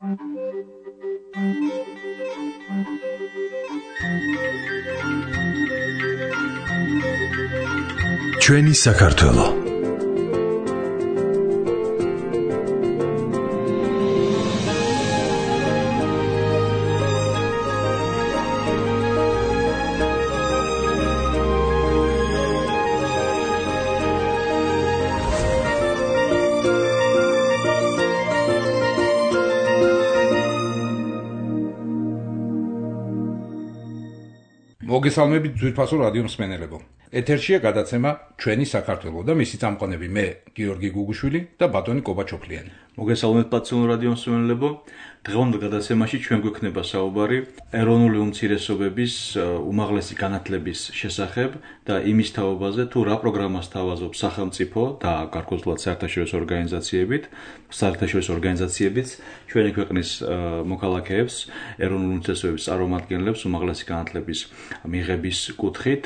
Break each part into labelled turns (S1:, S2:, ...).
S1: ჩვენი საქართველო
S2: მოგესალმებით ძვირფასო რადიო მსმენელებო. ეთერშია გადაცემა ჩვენი საქართველო და მისი წამყვანები მე გიორგი გუგუშვილი და ბატონი კობაჩოფლიანი.
S3: მოგესალმებით პაციონალ რადიო მსმენელებო. დღევანდელ გადაცემაში ჩვენ გვექნება საუბარი ეროვნული უმცირესობების უმაღლესი განათლების შესახებ და იმის თაობაზე თუ რა პროგრამას თავაზობს სახელმწიფო და გარკვეულად საერთაშორისო ორგანიზაციებიც ჩვენი ქვეყნის მოქალაქეებს ეროვნული უმცირესობების წარმომადგენლებს უმაღლესი განათლების მიღების კუთხით.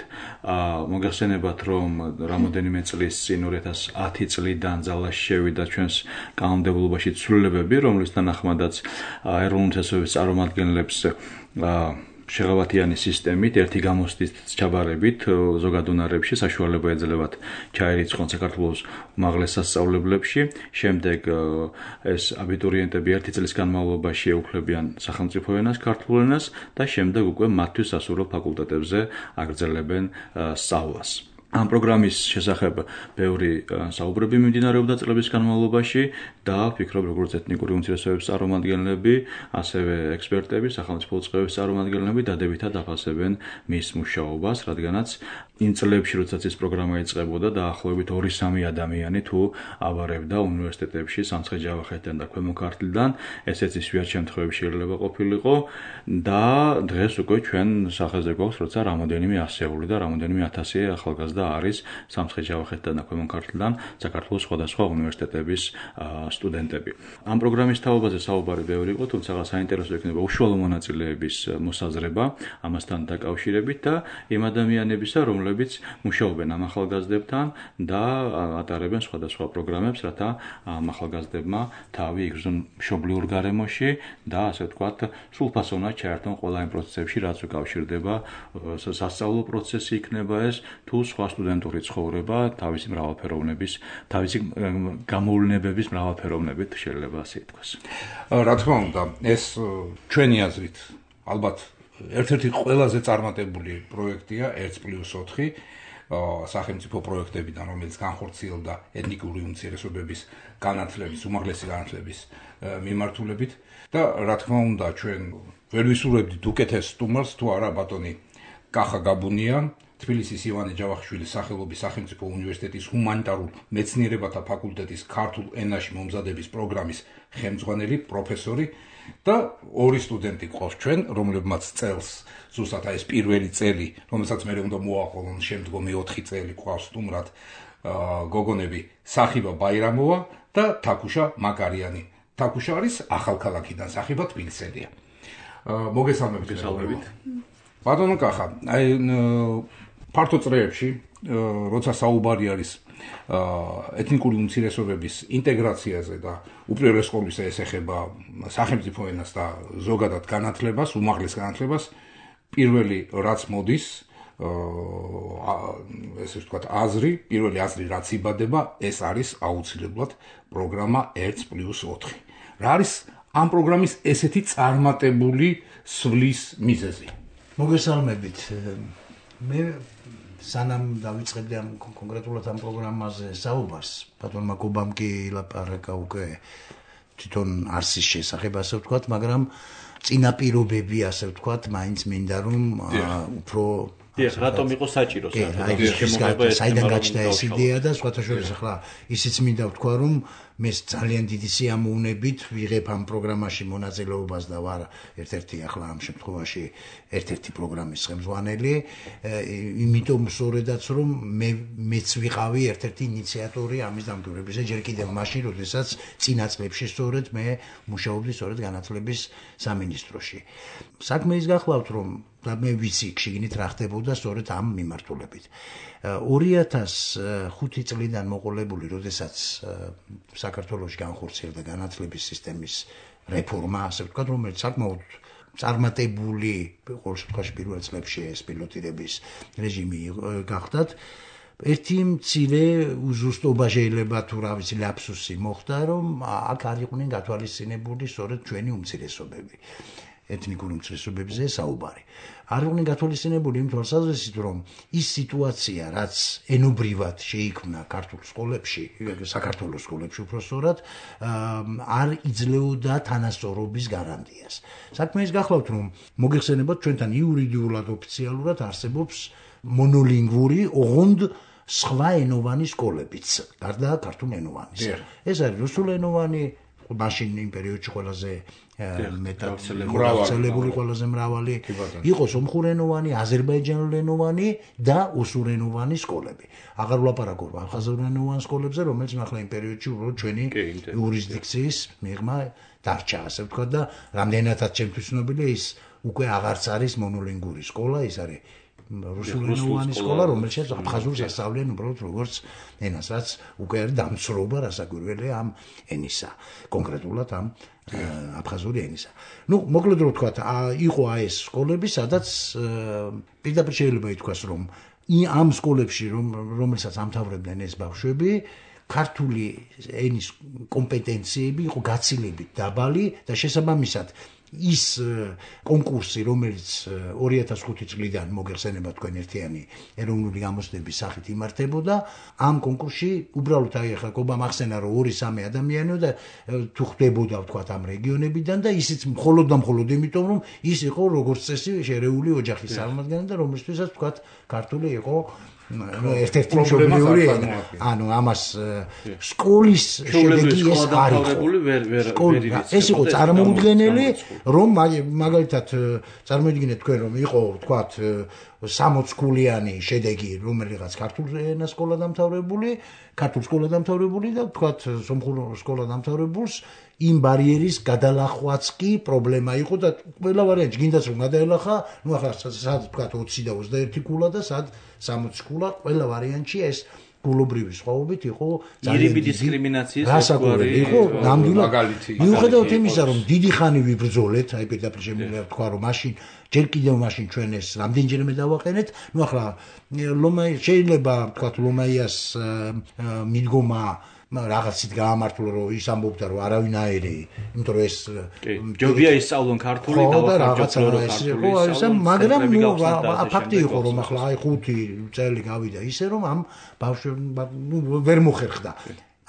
S3: მოგეხსენებათ, რომ რამოდენიმე წლის წინ 2010 წლიდან ძალაში შევიდა ჩვენს კანონმდებლობაში ცვლილებები, რომლის თანახმადაც ეროვნული უმცირესობების წარმომადგენლებს შეღავათიანი სისტემით, ერთი გამოცდის ჩაბარებით ზოგად უნარებში საშუალება ეძლებათ ჩაირიცხონ საქართველოს უმაღლეს სასწავლებლებში. შემდეგ ეს აბიტურიენტები ერთი წლის განმავლობაში ეუფლებიან სახელმწიფო ენას, ქართულ ენას და შემდეგ უკვე მათთვის სასურველ ფაკულტეტებზე აგრძელებენ სწავლას. ამ პროგრამის შესახებ ბევრი საუბრები მიმდინარეობდა წლების განმავლობაში და ვფიქრობ, როგორც ეთნიკური უმცირესობების წარმომადგენლები, ასევე ექსპერტები, სახელმწიფო წყევების წარმომადგენლები დადებითად აფასებენ მის მუშაობას, რადგანაც იმ წლებში, როდესაც ეს პროგრამა იწყებოდა, დაახლოებით 2-3 ადამიანი თუ აბარებდა უნივერსიტეტებში სამცხე-ჯავახეთიდან და ქვემო ქართლიდან, ესეც ისვიათ შემთხვევებში შეიძლება ყოფილიყო და დღეს უკვე ჩვენ სახეზე გვაქვს, როცა რამოდენიმე ასეული და რამოდენიმე ათასი ახალგაზრდა არის სამცხე-ჯავახეთიდან და ქვემო ქართლიდან საქართველოს სხვადასხვა უნივერსიტეტების სტუდენტები. ამ პროგრამის თაობაზე საუბარი ბევრი იყო, თუმცა საინტერესო იქნება უშუალო მონაწილეების მოსაზრება ამასთან დაკავშირებით და იმ ადამიანებისა, რომლებიც მუშაობენ ამ ახალგაზრდებთან და ატარებენ სხვადასხვა პროგრამებს, რათა ამ ახალგაზრდებმა თავი იგრძნონ მშობლიურ გარემოში და ასე ვთქვათ, სრულფასოვნად ჩაერთონ ყველა იმ პროცესებში, რაც უკავშირდება სასწავლო პროცესი იქნება ეს, თუ სხვა სტუდენტური ცხოვრება, თავისი მრავალფეროვნების, თავისი გამოვლენებების მრავალფეროვნებით შეიძლება ასე ითქვას.
S2: რა თქმა უნდა, ეს ჩვენი აზრით ალბათ ერთ-ერთი ყველაზე წარმატებული პროექტია 1+4 სახელმწიფო პროექტებიდან, რომელიც განხორციელდა ეთნიკური უმცირესობების განათლების, უმაღლესი განათლების მიმართულებით და რა თქმა უნდა, ჩვენ ვერ ვისურვებდით უკეთეს სტუმარს, თუ არა ბატონი კახა გაბუნია, თბილისის ივანე ჯავახიშვილის სახელობის სახელმწიფო უნივერსიტეტის ჰუმანიტარულ მეცნიერებათა ფაკულტეტის ქართულ ენაში მომზადების პროგრამის ხელმძღვანელი, პროფესორი და ორი სტუდენტი ყავს ჩვენ, რომლებმაც წელს ზუსტად ეს პირველი წელი, რომელსაც მე უნდა მოაყოლონ შემდგომი 4 წელი ყავს სტუმრად გოგონები სახიბა ბაირამოვა და თაკუშა მაკარიანი. თაკუშა არის ახალქალაქიდან, სახიბა თბილისელია. მოგესალმებით. ბატონო კახა, ფართო წრეებში, როცა საუბარი არის ეთნიკური უმცირესობების ინტეგრაციაზე და უპირველეს ყოვლისა ეს ეხება სახელმწიფო ენას და ზოგადად განათლებას, უმაღლეს განათლებას, პირველი რაც მოდის, ესე ვთქვათ, პირველი აზრი რაც იბადება, ეს არის აუცილებლად პროგრამა 1+4. რა არის ამ პროგრამის ესეთი წარმატებული სვლის მიზეზი?
S4: მოგესალმებით. მე სანამ დავიწყებდი ამ კონკრეტულად ამ პროგრამაზე საუბარს, ბატონმა კობამ კი ილაპარაკა უკვე თვითონ არსის შესახებ, ასე ვთქვათ, მაგრამ წინაპირობები, ასე ვთქვათ, მაინც მინდა რომ უფრო
S3: რატომ იყო საჭირო
S4: საიდან გაჩნდა ეს იდეა და სხვათა შორის ახლა ისიც მინდა ვთქვა, რომ მე ძალიან დიდი სიამოვნებით ვიღებ ამ პროგრამაში მონაწილეობას და ვარ ერთ-ერთი ახლა ამ შემთხვევაში ერთ-ერთი პროგრამის ხელმძღვანელი, იმიტომ სწორედაც რომ მეც ვიყავი ერთ-ერთი ინიციატორი ამის დამკვირვებისა, ჯერ კიდევ მაშინ, როდესაც წინა წლებში სწორედ მე მუშაობდი სწორედ განათლების სამინისტროში. საქმე ის გახლავთ, რომ და მე ვიცი შიგნით რა ხდებოდა სწორედ ამ მიმართულებით. 2005 წლიდან მოყოლებული, როდესაც საქართველოში განხორციელდა განათლების სისტემის რეფორმა, ასე ვთქვათ, რომელიც საკმაოდ წარმატებული ყოველ შემთხვევაში პირველ წლებში ეს პილოტირების რეჟიმი გახდათ. ერთი მცირე უზუსტობა შეიძლება თუ რა ვიცი ლაფსუსი მოხდა, რომ აქ არ იყვნენ გათვალისწინებული სწორედ ჩვენი უმცირესობები. ეთნიკური უმცირესობებზე საუბარი. არ იყვნენ გათვალისწინებული იმ თვალსაზრისით, რომ ის სიტუაცია, რაც ენობრივად შეიქმნა ქართულ სკოლებში, საქართველოს სკოლებში უпростоრად, არ იძლეოდა თანასწორობის გარანტიას. საქმე ის გახლავთ, რომ მოგეხსენებათ ჩვენთან იურიდიულად ოფიციალურად არსებობს მონოლინგვური, ოღონდ სხვა ენოვანი სკოლებიც, გარდა ქართულენოვანისა. ეს არის რუსულენოვანი, მაშინ იმ პერიოდში ყველაზე მეტად გავრცელებული, ყველაზე მრავალი, იყო სომხურენოვანი, აზერბაიჯანულენოვანი და ოსურენოვანი სკოლები. აღარ ვლაპარაკობ აფხაზურენოვან სკოლებზე, რომელიც ახლა იმ პერიოდში უბრალოდ ჩვენი იურისდიქციის მიღმა დარჩა, ასე ვთქვათ და რამდენადაც ჩემთვის ცნობილია ის უკვე აღარც არის მონოლინგვური სკოლა, ის არის რუსულენოვანი სკოლა, რომელშიც აფხაზურს ასწავლიან უბრალოდ როგორც ენას, რაც უკვე არის დამცრობა რასაკვირველია ამ ენისა, კონკრეტულად ამ აფხაზური ენისა. მოკლედ რომ ვთქვათ, იყო ეს სკოლები, სადაც პირდაპირ შეიძლება ითქვას, რომ ამ სკოლებში, რომელსაც ამთავრებდნენ ეს ბავშვები, ქართული ენის კომპეტენციები იყო გაცილებით დაბალი და შესაბამისად ის კონკურსი, რომელიც 2005 წლიდან მოგეხსენება თქვენ ერთიანი ეროვნული გამოცდების სახით იმართებოდა, ამ კონკურსში უბრალოდ ახლა გობა მახსენა რომ 2-3 ადამიანია და თუ ხდებოდა ვთქვათ ამ რეგიონებიდან და ისიც მხოლოდ და მხოლოდ იმიტომ რომ ის იყო როგორც წესი შერეული ოჯახის წარმომადგენელი და რომელთვისაც ვთქვათ ქართული იყო ერთ-ერთი მშობლიური ენა. ანუ ამას სკოლის შედეგი ეს არ იყო. ეს იყო წარმოუდგენელი, რომ მაგალითად წარმოიდგინეთ თქვენ რომ იყო ვთქვათ 60 ქულიანი შედეგი რომელიღაც ქართულ ენას სკოლა დამთავრებული, ქართულ სკოლა დამთავრებული და ვთქვათ სომხურ სკოლა დამთავრებულს იმ ბარიერის გადალახვაც კი პრობლემა იყო და ყველა ვარიანტი გინდას რომ გადაელახა, ნუ ახლა სად ვთქვათ 20 და 21 ქულა და სად 60 ქულა, ყველა ვარიანტში ეს გულობრივი სხვაობით იყო
S3: ირიბი დისკრიმინაციის
S4: რასაკვირველი იყო ნამდვილად მიუხედავად იმისა რომ დიდი ხანი ვიბრძოლეთ, აი პირდაპირ შემიძლია ვთქვა რომ მაშინ ჯერ კიდევ მაშინ ჩვენ ეს რამდენჯერმე დავაყენეთ, ნუ ახლა შეიძლება ვთქვათ ლომაიას მიდგომა რაღაცით გაამართლა რომ ის ამბობდა რომ არავინაირი, იმიტომ რომ ეს
S3: ჯობია ისწავლონ ქართული და
S4: რაღაცა მაგრამ ფაქტი იყო რომ ახლა აი 5 წელი გავიდა ისე რომ ამ ბავშვებმა ვერ მოხერხდა.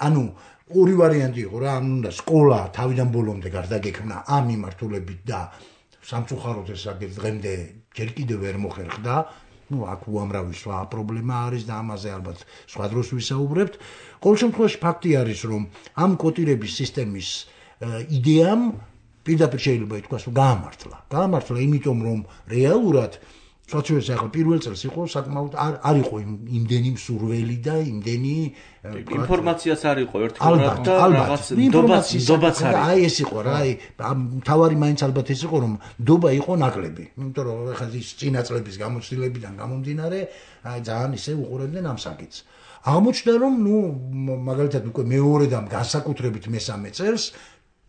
S4: ანუ ორი ვარიანტი იყო რა, ანუ უნდა სკოლა თავიდან ბოლომდე გარდაგექმნა ამ მიმართულებით და სამწუხაროდ ეს დღემდე ჯერ კიდევ ვერ მოხერხდა. აქ უამრავი სხვა პრობლემა არის და ამაზე ალბათ სხვა დროს ვისაუბრებთ. ყოველ შემთხვევაში ფაქტი არის, რომ ამ კოტირების სისტემის იდეამ პირდაპირ შეიძლება ითქვას, რომ გაამართლა, იმიტომ რომ რეალურად სოციალიზმის ახლა პირველ წელს იყო საკმაოდ არ იყო იმდენი მსურველი და იმდენი
S3: ინფორმაციაც არ იყო ერთგვარად და რაღაც ნდობაც არის.
S4: აი ეს იყო რა, აი თავარი მაინც ალბათ ეს იყო რომ ნდობა იყო ნაკლები. იმიტომ რომ ახლა ის წინა წლების გამოცდილებიდან გამომდინარე, აი ძალიან ისე უყურებდნენ ამ საკითხს. აღმოჩნდა რომ მაგალითად უკვე მეორე და განსაკუთრებით მესამე წელს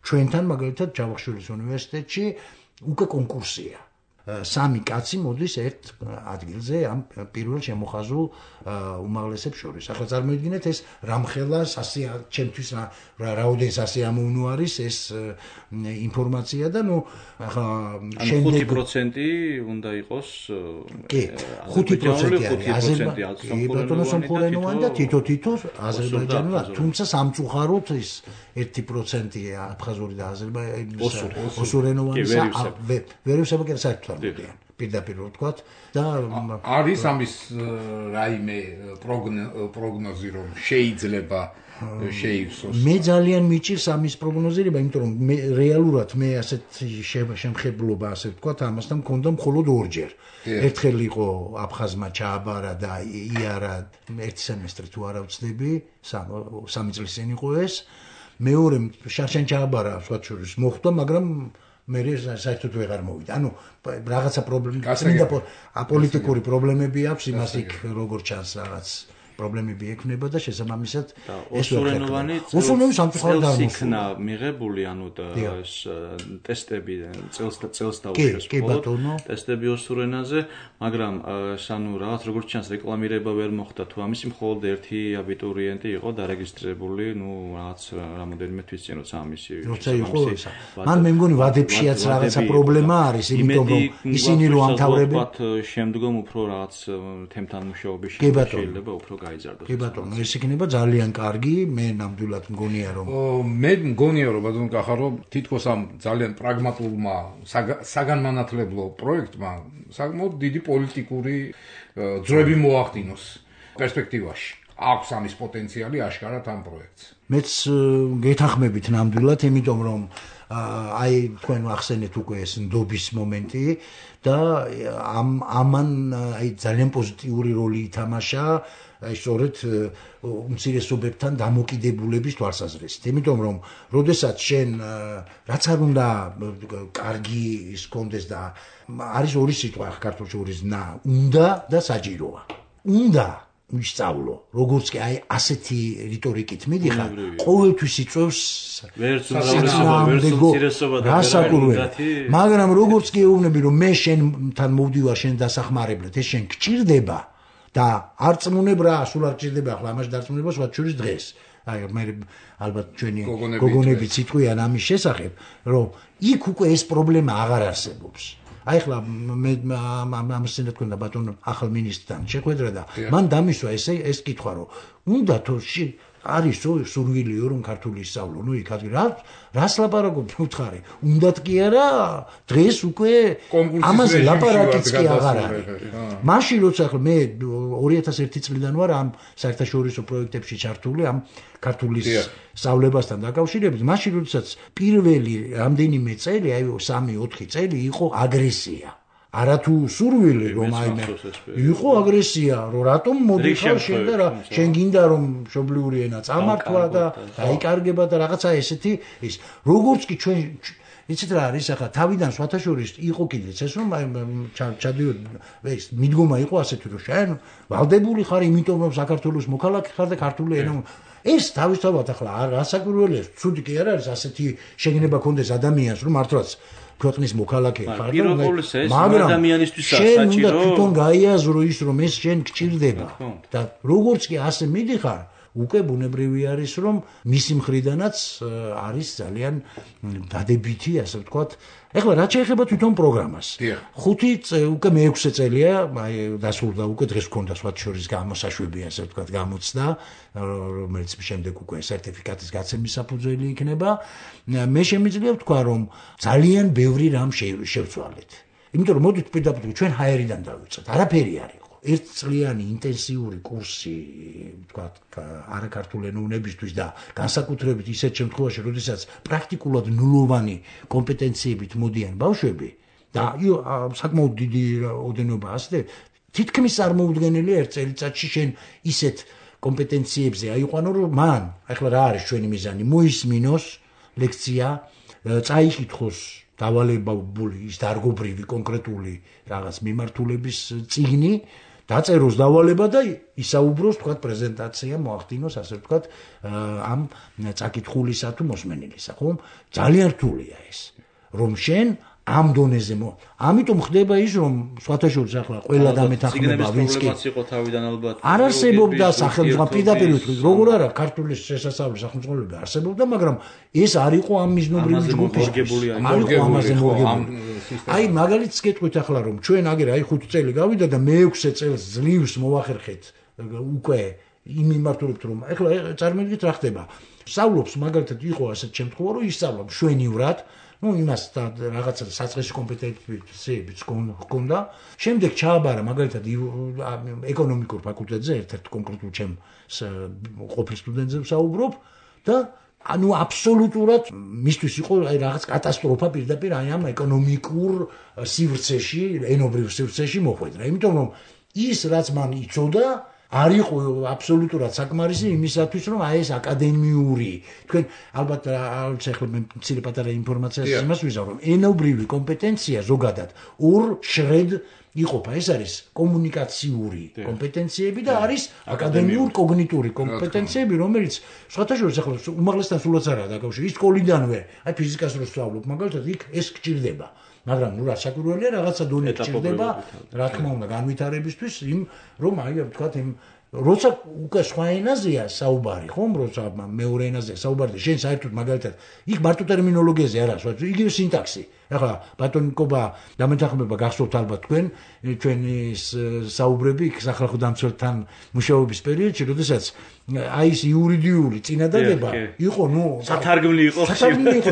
S4: ჩვენთან მაგალითად ჯავახიშვილის უნივერსიტეტში უკვე კონკურსია. 3 კაცი მოდის ერთ ადგილზე ამ პირველ შემოხაზულ უმაღლესებს შორის. ახლა წარმოიდგინეთ ეს რამხელა ჩემთვის რაოდენ სასიამოვნო არის ეს ინფორმაცია და ახლა
S3: შემდეგ 5% უნდა იყოს
S4: კი 5% არის სომხურენოვანი და თითო აზერბაიჯანული, თუმცა სამწუხაროდ ის 1%-ია აფხაზური და ოსურენოვანისა ვერ ვსაბაკერა საერთოდ პირდაპირ ვთქვათ და
S2: არის ამის რაიმე პროგნოზი რომ შეიძლება შეივსოს.
S4: მე ძალიან მიჭირს ამის პროგნოზირება, იმიტომ რომ რეალურად მე ასეთ შემხებლობა ასე ვთქვათ ამასთან მქონდა მხოლოდ ორჯერ. ერთხელ იყო აფხაზმა ჩააბარა და იარა ერთ სემესტრი თუ არა ვცდები, 3 წლის წინ იყო ეს. მეორე შარშან ჩააბარა სხვა შორის მოხდა, მაგრამ მე საერთოდ ვეღარ მოვიდა. ანუ რაღაცა პრობლემა, აპოლიტიკური პრობლემები აქვს, იმას იქ როგორ ჩანს რაღაც პრობლემები ექნება და შესაბამისად
S3: ეს ოსურენოვანი იქნა მიღებული, ანუ ეს ტესტები წელს დაუშვეს მხოლოდ ტესტები ოსურენაზე, მაგრამ ანუ რაღაც როგორც ჩანს რეკლამირება ვერ მოხდა თუ ამისი მხოლოდ ერთი აბიტურიენტი იყო დარეგისტრირებული, რაღაც რამოდენიმე თვის წინ როცა ამისი
S4: როცა იყო ისა. მან მე მგონი ვადებშიაც რაღაცა პრობლემა არის, იმიტომ რომ ისინი რო ამთავრებენ
S3: შემდგომ უფრო რაღაც თემთან მუშაობის შეიძლება უფრო გაიზარდოს.
S4: კი ბატონო, ეს იქნება ძალიან კარგი, მე ნამდვილად მგონია რომ
S2: მე მგონია რომ ბატონო კახარო თითქოს ამ ძალიან პრაგმატულმა საგანმანათლებლო პროექტმა საკმაოდ დიდი პოლიტიკური ძროები მოახდინოს პერსპექტივაში. აქვს ამის პოტენციალი აშკარად ამ პროექტს.
S4: მეც გეთანხმებით ნამდვილად, იმიტომ რომ აი თქვენ ახსენეთ უკვე ეს ნდობის მომენტი და ამან აი ძალიან პოზიტიური როლი ითამაშა აი სწორედ უმცირესობებთან დამოკიდებულების თვალსაზრისით. იმიტომ რომ როდესაც შენ რაც არ უნდა კარგი ის კონდეს და არის ორი სიტყვა ქართულში ორი ზნა, უნდა და საჭიროა. უნდა ვისწავლო, როგორც კი აი ასეთი რიტორიკით მიდიხარ, ყოველთვის იწევს
S3: ვერც უმრავლესობა და
S4: მაგრამ როგორც კი ეუბნები რომ მე შენთან მოვდივარ შენ დასახმარებლად, ეს შენ გჭირდება და არ წმუნებ რა, სულ არ გჭირდება ახლა ამაში დარწმუნება სხვა შორის დღეს. აი მე ალბათ ჩვენი გოგონებიც იტყვიან ამის შესახებ, რომ იქ უკვე ეს პრობლემა აღარ არსებობს. აი ხლა მე ამასენა თქვენ და ბატონ ახალ მინისტრთან შეხვედრა და მან დამისვა ეს კითხვა რომ უნდა თუ არის სურვილიო რომ ქართული ისწავლო, ნუ იქ რას ლაპარაკობ უთხარი, უნდათ კი არა, დღეს უკვე ამაზე ლაპარაკიც კი აღარ არის. მაშინ როცა ახლა მე 2001 წლიდან ვარ ამ საერთაშორისო პროექტებში ჩართული ამ ქართულის სწავლებასთან დაკავშირებით, მაშინ როდესაც პირველი რამდენიმე წელი, აი 3-4 წელი იყო აგრესია. არათუ სურვილი რომ აიმე იყო აგრესია, რომ რატომ მოდიხარ შენ და რა შენ გინდა რომ მშობლიური ენა წამართვა და დაიკარგება და რაღაცა ესეთი ის როგორც კი ჩვენ იცით რა არის ახლა თავიდან სხვათა შორის იყო კიდეც ეს რომ ჩადიოდ ეს მიდგომა იყო ასეთი რომ შენ ვალდებული ხარ იმიტომ რომ საქართველოს მოქალაქე ხარ და ქართული ენა ეს თავისთავად ახლა რასაკვირველია ცუდი კი არ არის ასეთი შეგნება კონდეს ადამიანს რომ მართლაც ქვეყნის მოქალაქე ხარ
S3: მაგრამ ადამიანისთვის საჭირო
S4: შენ უნდა თვითონ გაიაზრო ის რომ ეს შენ გჭირდება და როგორც კი ასე მიდიხარ უკვე ბუნებრივი არის რომ მისი მხრიდანაც არის ძალიან დადებითი ასე ვთქვათ ეხლა რაც შეეხება თვითონ პროგრამას 5 უკვე მე-6 წელია აი დასრულდა უკვე დღეს გქონდა სხვათა შორის გამოსაშვები ასე ვთქვათ გამოცდა რომელიც შემდეგ უკვე სერტიფიკატის გაცემის საფუძველი იქნება მე შემიძლია ვთქვა რომ ძალიან ბევრი რამ შევცვალეთ იმიტომ რომ მოდით პირდაპირ ჩვენ ჰაერიდან დავიწყეთ არაფერი არ იყო ერთწლიანი ინტენსიური კურსი ვთქვათ არაქართული ენოვნებისთვის და განსაკუთრებით ისეთ შემთხვევაში როდესაც პრაქტიკულად ნულოვანი კომპეტენციებით მოდიან ბავშვები და საკმაოდ დიდი ოდენობა ასე თითქმის წარმოუდგენელია ერთ წელიწადში შენ ისეთ კომპეტენციებზე აიყვანო რომ მან ახლა რა არის ჩვენი მიზანი მოისმინოს ლექცია წაიკითხოს დავალებული ის დარგობრივი კონკრეტული რაღაც მიმართულების წიგნი დაწეროს დავალება და ისაუბროს თქვა პრეზენტაცია მოახდინოს ასე ვთქვათ ამ წაკითხულისა თუ მოსმენელისა ხო ძალიან რთულია ეს რომ შენ ამ დონეზე ამიტომ ხდება ის რომ სხვათა შორის ახლა ყველა დამეთანხმება ვინც კი
S3: იყო თავიდან ალბათ
S4: არ არსებობდა სახელმწიფო პირდაპირ როგორ არა ქართულის შესასწავლი სახელმწიფოები არსებობდა მაგრამ ეს არ იყო ამ მიზნობრივი ჯგუფის არ იყო ამაზე მორგებული აი მაგალითს გეტყვით ახლა რომ ჩვენ აგერ აი 5 წელი გავიდა და მე-6 წელს ძლივს მოვახერხეთ უკვე იმ მიმართულებით რომ ახლა წარმოგიდგენთ რა ხდება სწავლობს მაგალითად იყო ასეთ შემთხვევა რომ ისწავლა მშვენივრად ну იმას რაღაცა საწყისი კომპეტენციებიც ჰქონდა შემდეგ ჩააბარა მაგალითად ეკონომიკურ ფაკულტეტზე ერთ-ერთ კონკრეტულ ჩემ ყოფილ სტუდენტზე ვსაუბრობ და ანუ აბსოლუტურად მისთვის იყო აი რაღაც კატასტროფა პირდაპირ აი ამ ეკონომიკურ სივრცეში ენობრივ სივრცეში მოხვედრა იმიტომ რომ ის რაც მან იცოდა არ იყო აბსოლუტურად საკმარისი იმისათვის რომ აი ეს აკადემიური თქვენ ალბათ ახლა მე მცირე პატარა ინფორმაციას იმას ვიზავ რომ ენობრივი კომპეტენცია ზოგადად ორ შრედ იყოფა. ეს არის კომუნიკაციური კომპეტენციები და არის აკადემიურ კოგნიტური კომპეტენციები, რომელიც სხვათა შორის ახლა უმაღლესთან სულაც არაა დაკავშირებული. ის სკოლიდანვე, აი ფიზიკას რო სწავლობ, მაგალითად იქ ეს გჭირდება. მაგრამ ნუ რა საკურველია რაღაცა დონე გჭირდება, რა თქმა უნდა, განვითარებისთვის იმ რომ აი ვთქვათ იმ როცა უკვე სხვა ენაზეა საუბარი, ხომ, როცა მეორე ენაზეა საუბარი, შენ საერთოდ მაგალითად იქ მარტო ტერმინოლოგიაზე არა, იგივე სინტაქსი. ახლა ბატონიკობა დამეთანხმება გახსოვთ ალბათ თქვენ ჩვენი საუბრები იქ სახალხო დამცველთან მუშაობის პერიოდში, როდესაც აი ეს იურიდიული წინადადება იყო, ნუ
S3: სათარგმნი იყო,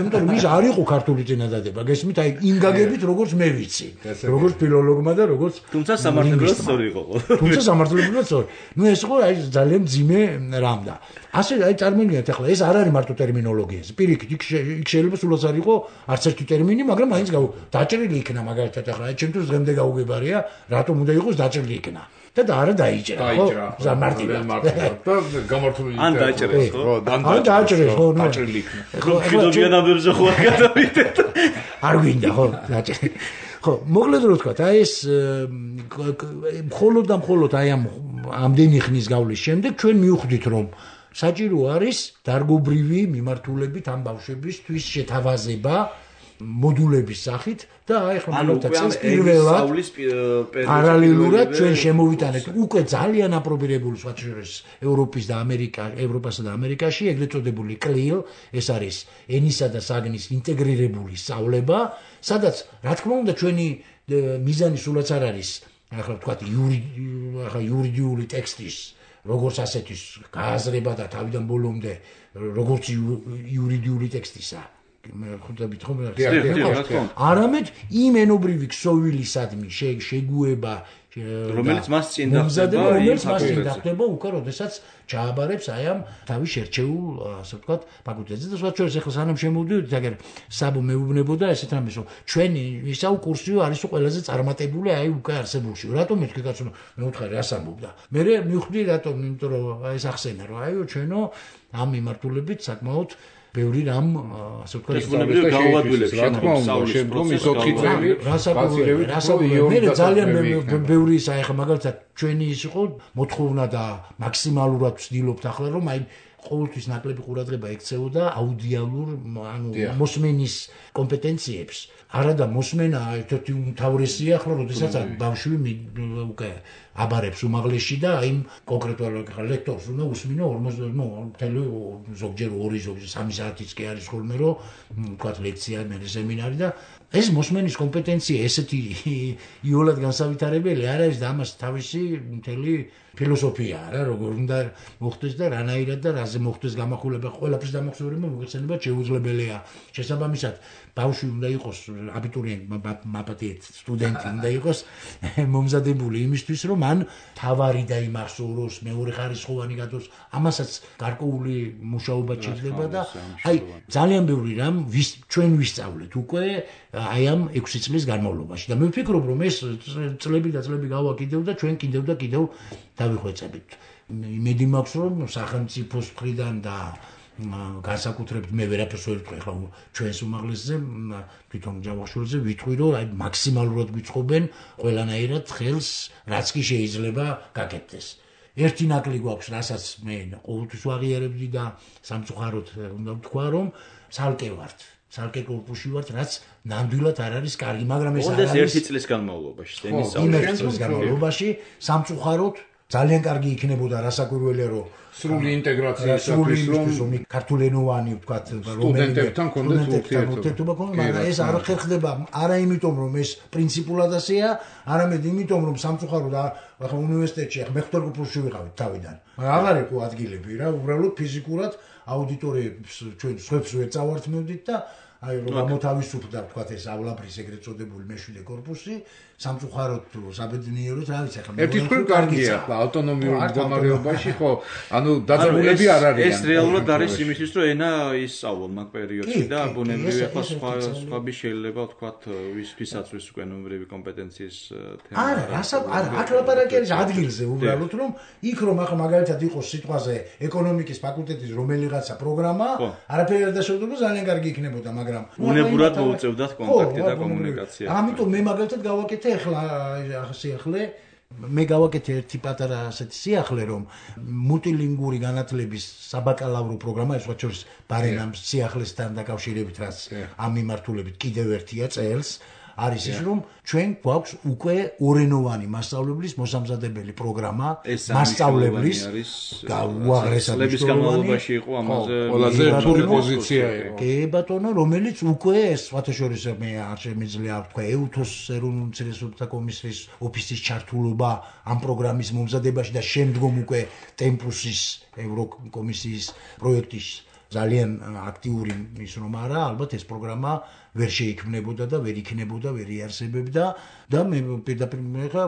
S4: იმიტომ რომ ის არ იყო ქართული წინადადება, გესმით, აი იმ გაგებით როგორც მე ვიცი, როგორც ფილოლოგმა და როგორც
S3: თუმცა სამართლებრივად სწორი იყო.
S4: თუმცა სამართლებრივად სწორი. ნუ ეს იყო აი ძალიან ძიმე რამ და ასე აი წარმოგიდგენთ ახლა ეს არ არის მარტო ტერმინოლოგიაზე. პირიქით იქ შეიძლება სულაც არ იყო არც ერთი ტერმინი, მაგრამ მაინც დაჭრილი იქნა მაგალითად ახლა აი ჩემთვის დღემდე გაუგებარია, რატომ უნდა იყოს დაჭრილი იქნა. და არა დაიჭრა, ხო? მარტივად.
S2: და გამართული
S3: ან დაჭრეს, ხო?
S4: ან დაჭრეს, ხო?
S2: დაჭრილი იქნა.
S3: ხო, ფილოგენაბებზე ხო არ გადავიდეთ.
S4: არ გვინდა, ხო? დაჭრე. ხო, მოკლედ რო ვთქვა, აი ეს მხოლოდ აი ამდენი ხნის გავლის შემდეგ ჩვენ მივხვდით რომ საჭირო არის დარგობრივი მიმართულებით ამ ბავშვებისთვის შეთავაზება მოდულების სახით და აი ახლა მაგალითად პირველად პარალელურად ჩვენ შემოვიტანეთ უკვე ძალიან აპრობირებული სხვა შორის ევროპასა და ამერიკაში ეგრეთ წოდებული CLIL, ეს არის ენისა და საგნის ინტეგრირებული სწავლება, სადაც რა თქმა უნდა ჩვენი მიზანი სულაც არ არის ახლა ვთქვათ იურიდიული ტექსტის როგორც ასეთის გააზრება და თავიდან ბოლომდე როგორც იურიდიული ტექსტისა ხვდებით ხომ არამედ იმ ენობრივი ქსოვილისადმი შეგუება
S3: რომელიც მას წინ
S4: დახდება უკვე როდესაც ჩააბარებს აი ამ თავის შერჩეულ ასე ვთქვათ ფაკულტეტზე და სხვა შორის ახლა სანამ შემოვიდით აგერ საბო მეუბნებოდა ესეთ რამეს რომ ჩვენი ისაუ კურსიო არის ყველაზე წარმატებული აი უკვე არსებულში რატომ მეთქი კაცო მე უთხარი რას ამბობდა მე მივხვდი რატომ იმიტომ რომ ეს ახსენა რომ აიო ჩვენო ამ მიმართულებით საკმაოდ ბევრი რამ ასე ვთქვათ
S3: გაუადვილებს
S2: რა თქმა უნდა შემდგომ ის 4 წელი
S4: რასაკვირველია მე ძალიან ბევრი ისა ახლა მაგალითად ჩვენი ის იყო მოთხოვნა და მაქსიმალურად ვცდილობთ ახლა რომ აი ყოველთვის ნაკლები ყურადღება ექცეოდა აუდიალურ ანუ მოსმენის კომპეტენციებს არა და მოსმენა ერთ-ერთი უმთავრესია ახლა როდესაც ბავშვი უკვე აბარებს უმაღლესში და აი კონკრეტულად ლექტორს უნდა უსმინო 40 ზოგჯერ 2 ზოგჯერ 3 საათიც კი არის ხოლმე რომ ვთქვათ ლექცია მე სემინარი და ეს მოსმენის კომპეტენცია ესეთი იოლად განსავითარებელი არ არის და ამას თავისი მთელი ფილოსოფიაა რა როგორ უნდა მოხდეს და რანაირად და რაზე მოხდეს გამახვილება ყველაფრის დამახსოვრება მოგეხსენება შეუძლებელია შესაბამისად ბავშვი უნდა იყოს აბიტურიენტი მაპატიეთ სტუდენტი უნდა იყოს მომზადებული იმისთვის რომ მან თავარი დაიმახსოვროს მეორე ხარისხოვანი გათოს ამასაც გარკვეული მუშაობა ჭირდება და აი ძალიან ბევრი რამ ჩვენ ვისწავლეთ უკვე აი ამ 6 წლის განმავლობაში და მე ვფიქრობ რომ ეს წლები და წლები გავა კიდევ და ჩვენ კიდევ და კიდევ დავიხვეწებით იმედი მაქვს რომ სახელმწიფოს მხრიდან და განსაკუთრებით მე ვერაფერს ვერ ვიტყვი ხა ჩვენს უმაღლესზე თვითონ ჯავახიშვილზე ვიტყვი რომ აი მაქსიმალურად გვიწყობენ ყველანაირად ხელს რაც კი შეიძლება გაკეთდეს ერთი ნაკლი გვაქვს რასაც მე ყოველთვის ვაღიარებდი და სამწუხაროდ უნდა ვთქვა რომ ცალკე ვართ ცალკე კორპუსში ვართ რაც ნამდვილად არ არის კარგი მაგრამ ეს
S3: არის ერთი წლის განმავლობაში
S4: წლის განმავლობაში სამწუხაროდ ძალიან კარგი იქნებოდა რასაკვირველია რომ
S2: სრული ინტეგრაციისათვის
S4: რომ ქართულენოვანი ვთქვათ
S2: სტუდენტებთან კონდეთ
S4: ურთიერთობა მაგრამ ეს არ ხერხდება არა იმიტომ რომ ეს პრინციპულად ასეა არამედ იმიტომ რომ სამწუხაროდ ახლა უნივერსიტეტში ახლა მე ხუტორკურსში ვიყავით თავიდან მაგრამ აღარ იყო ადგილები რა უბრალოდ ფიზიკურად აუდიტორიებს ჩვენ სხვებს ვერ წავართმევდით და აი რომ გამოთავისუფლდა ვთქვათ ეს ავლაბრის ეგრეთ წოდებული მეშვიდე კორპუსი სამწუხაროდ საბედნიეროდ რა ვიცი ახლა
S2: ერთი თქვენ კარგია ახლა ავტონომიურ მდგომარეობაში ხო ანუ დაძაბულები არ არიან
S3: ეს რეალურად არის იმისთვის რომ ენა ისწავლონ მაგ პერიოდში და ბუნებრივია ახლა სხვები შეიძლება ვთქვათ ვისთვისაც ის უკვე ნომრები კომპეტენციის თემა
S4: არა აქ ლაპარაკი არის ადგილზე უბრალოდ რომ იქ რომ ახლა მაგალითად იყოს სიტყვაზე ეკონომიკის ფაკულტეტის რომელიღაცა პროგრამა არაფერი არ დაშორდება ძალიან კარგი იქნებოდა მაგრამ მაგრამ
S3: უნებურად მოუწევდათ კონტაქტი და კომუნიკაცია.
S4: ამიტომ მე მაგალითად გავაკეთე ახლა სიახლე მე გავაკეთე ერთი პატარა ასეთი სიახლე რომ მულტილინგური განათლების საბაკალავრო პროგრამა ეს ვაჩორის ბარენამ სიახლესთან დაკავშირებით რაც ამ მიმართულებით კიდევ ერთია წელს არის ის რომ ჩვენ გვაქვს უკვე ორენოვანი მასწავლებლის მოსამზადებელი პროგრამა მასწავლებლის უაღრესად
S3: განმავლობაში იყო ამაზე
S2: ყველაზე რთული პოზიცია იყო
S4: კი ბატონო რომელიც უკვე ეს ვათაშორის მე არ შემიძლია თქვა ეუთოს ეროვნულ უმცირესობთა კომისიის ოფისის ჩართულობა ამ პროგრამის მომზადებაში და შემდგომ უკვე ტემპუსის ევროკომისიის პროექტის ძალიან აქტიური ის რომ არა ალბათ ეს პროგრამა ვერ შეიქმნებოდა და ვერ იქნებოდა ვერ იარსებებდა და მე პირდაპირ ხა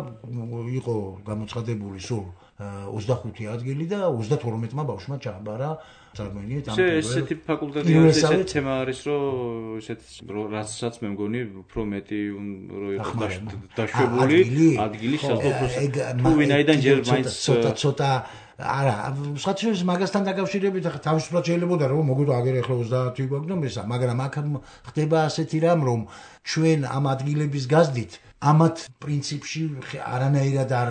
S4: იყო გამოცხადებული სულ 25 ადგილი და 32-მა ბავშვმა ჩააბარა წარმოიდგინეთ ამ
S3: ესეთი ფაკულტეტი არის ესეთი თემა არის რომ ესეთ რასაც მე მგონი უფრო მეტი რო იყო დაშვებული ადგილი შესაძლოა თუ ვინაიდან ჯერ მაინც
S4: ცოტა არა, სხვათა მაგასთან დაკავშირებით ახლა თავისუფლად შეიძლება რომ მოგვიდო აგერ ახლა 30 გვაქვს და მესა, მაგრამ აქ ხდება ასეთი რამ რომ ჩვენ ამ ადგილების გაზდით ამათ პრინციპში არანაირად არ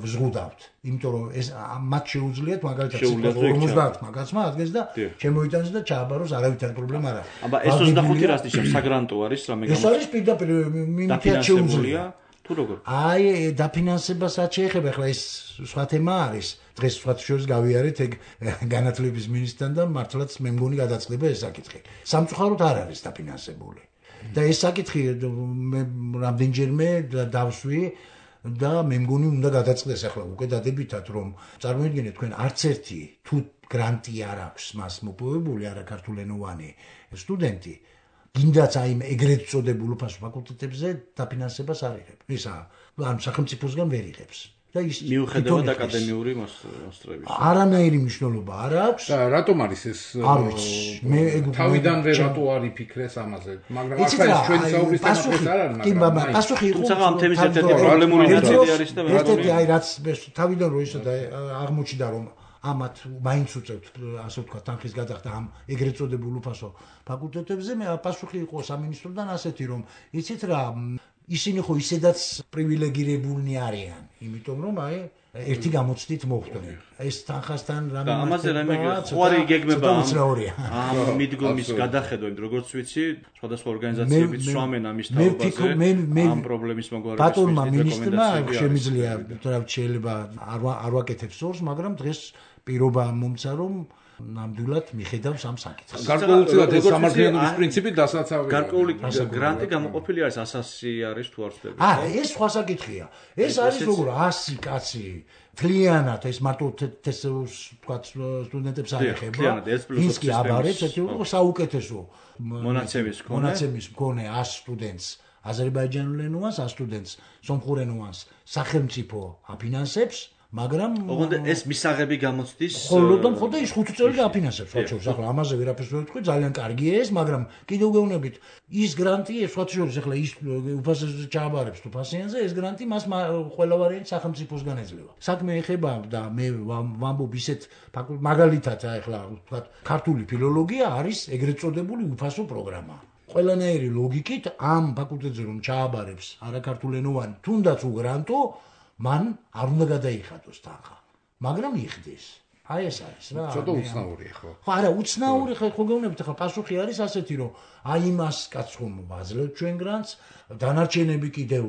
S4: ვზღუდავთ, იმიტომ რომ ეს მათ შეუძლიათ მაგალითად 50 მაგაცმა ადგეს და შემოიტანოს და ჩააბაროს არავითარი პრობლემა არ აქვს.
S3: აბა ეს 25 რას ნიშნავს საგრანტო არის რამე
S4: ეს არის პირდაპირ მინიმუმ შეუძლია.
S3: თუ როგორ?
S4: აი დაფინანსებასაც შეეხება ახლა ეს სხვა თემა არის. დღეს სხვა შორის გავიარეთ ეგ განათლების მინისტრთან და მართლაც მე მგონი გადაწყდება ეს საკითხი. სამწუხაროდ არ არის დაფინანსებული. და ეს საკითხი მე რამდენჯერმე დავსვი და მე მგონი უნდა გადაწყდეს ახლა უკვე დადებითად რომ წარმოიდგინეთ თქვენ არც ერთი თუ გრანტი არ აქვს მას მოპოვებული არაქართულენოვანი სტუდენტი გინდაც აი ეგრეთ წოდებულ ფაკულტეტებზე დაფინანსებას არ იღებს. ისა ან სახელმწიფოსგან ვერ იღებს. და ის
S3: მიუხედავად აკადემიური მოსწრების.
S4: არანაირი მნიშვნელობა არ აქვს.
S2: და რატომ არის ეს?
S4: არ ვიცი. მე
S2: თავიდანვე რატო არ იფიქრეს ამაზე? მაგრამ ახლა ეს ჩვენი საუბრის თემაც არ არის,
S4: მაგრამ პასუხი იყო.
S3: თუმცა ამ თემის ერთ-ერთი პრობლემური ნაწილი არის და
S4: ერთ-ერთი აი რაც თავიდან რო ისე აღმოჩნდა რომ ამათ მაინც უწევთ ასე ვთქვა თანხის გადახდა ამ ეგრეთ წოდებულ უფასო ფაკულტეტებზე მე პასუხი იყო სამინისტროდან ასეთი რომ იცით რა ისინი ხო ისედაც პრივილეგირებულნი არიან იმიტომ რომ აი ერთი გამოცდით მოხდნენ ეს თანხასთან რამე
S3: ამაზე რამე ხوارი გეგმება ამ მიდგომის გადახედვა იმ როგორც ვიცი სხვადასხვა ორგანიზაციებიც სვამენ ამის თაობაზე ამ პრობლემის მოგვარების
S4: ბატონმა მინისტრმა შემიძლია რა შეიძლება არ ვაკეთებს ორს მაგრამ დღეს პირობა მომცა რომ ნამდვილად მიხედავს ამ საკითხს.
S2: გარკვეულწილად ეს სამართლიანობის პრინციპი დასაცავია.
S3: გარკვეული გრანტი გამოყოფილი არის 100 არის თუ არ ვწდები.
S4: ეს სხვა საკითხია. ეს არის როგორ 100 კაცი თლიანად ეს მარტო თქვა სტუდენტებს არ ეხება. ვინც კი აბარებს ეს იყო საუკეთესო მონაცემის მქონე 100 სტუდენტს აზერბაიჯანულენოვანს 100 სტუდენტს სომხურენოვანს სახელმწიფო აფინანსებს მაგრამ
S3: ოღონდ ეს მისაღები გამოცდის
S4: ხოლმე ის 5 წელი აფინანსებს სხვა შორის ახლა ამაზე ვერაფერს ვერ ვთქვი ძალიან კარგია ეს მაგრამ კიდევ გეუბნებით ის გრანტი ეს სხვა შორის ახლა ის უფასზე ჩააბარებს თუ ფასიანზე ეს გრანტი მას ყველა ვარიანტი სახელმწიფოსგან ეძლევა საქმე ეხება და მე ვამბობ ისეთ მაგალითად ახლა ვთქვა ქართული ფილოლოგია არის ეგრეთ წოდებული უფასო პროგრამა ყველანაირი ლოგიკით ამ ფაკულტეტზე რომ ჩააბარებს არაქართულენოვანი თუნდაც უგრანტო მან არ უნდა გადაიხადოს თანხა, მაგრამ იხდეს. აი ეს არის რა.
S2: ცოტა უცნაურია ხო?
S4: ხო, არა, უცნაური ხო გეუბნებით, ახლა პასუხი არის ასეთი, რომ აი იმას კაცს ხომ ვაძლევთ ჩვენ გრანტს, დანარჩენები კიდევ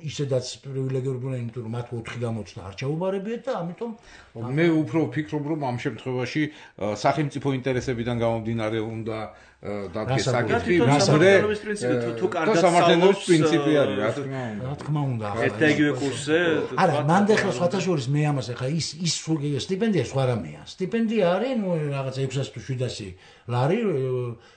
S4: ისედაც პრივილეგირებულნი, იმიტომ რომ მათ 4 გამოცდა არ ჩაუბარებიათ და ამიტომ
S2: მე უფრო ვფიქრობ, რომ ამ შემთხვევაში სახელმწიფო ინტერესებიდან გამომდინარე უნდა დადგეს საკითხი,
S3: სამართლიანობის პრინციპი თუ კარგად
S2: სამართლიანობის პრინციპი არის,
S4: რა თქმა უნდა.
S3: ერთ და იგივე კურსზე
S4: არა, მანდ ახლა სხვათა შორის მე ამას ახლა ის სტიპენდია სხვა რამეა. სტიპენდია არის, ნუ რაღაც 600 თუ 700 ლარი